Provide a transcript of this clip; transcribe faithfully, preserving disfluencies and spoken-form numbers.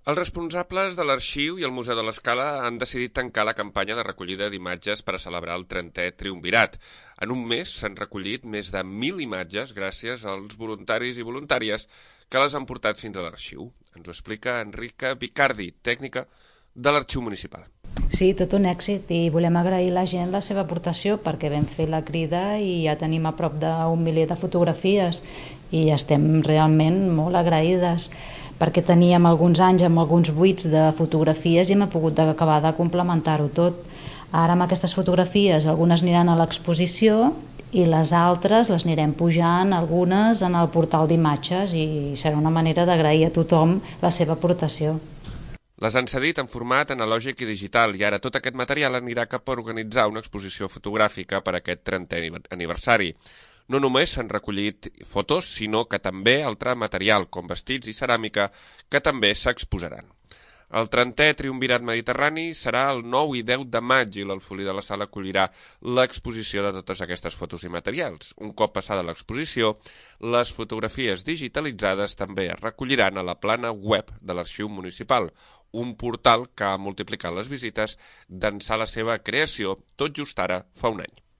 Els responsables de l'Arxiu i el Museu de l'Escala han decidit tancar la campanya de recollida d'imatges per a celebrar el trentè Triumvirat. En un mes s'han recollit més de mil imatges gràcies als voluntaris i voluntàries que les han portat fins a l'Arxiu. Ens ho explica Enrica Vicardi, tècnica de l'Arxiu Municipal. Sí, tot un èxit, i volem agrair a la gent la seva aportació perquè vam fer la crida i ja tenim a prop d'un miler de fotografies i estem realment molt agraïdes perquè teníem alguns anys amb alguns buits de fotografies i hem pogut acabar de complementar-ho tot. Ara amb aquestes fotografies algunes aniran a l'exposició i les altres les anirem pujant, algunes en el portal d'imatges, i serà una manera d'agrair a tothom la seva aportació. Les han cedit en format analògic i digital i ara tot aquest material anirà cap a organitzar una exposició fotogràfica per a aquest trentè aniversari. No només s'han recollit fotos, sinó que també altre material, com vestits i ceràmica, que també s'exposaran. El trentè Triumvirat Mediterrani serà el nou i deu de maig i l'Alfolí de la Sala acollirà l'exposició de totes aquestes fotos i materials. Un cop passada l'exposició, les fotografies digitalitzades també es recolliran a la plana web de l'Arxiu Municipal, un portal que ha multiplicat les visites d'ençà la seva creació tot just ara fa un any.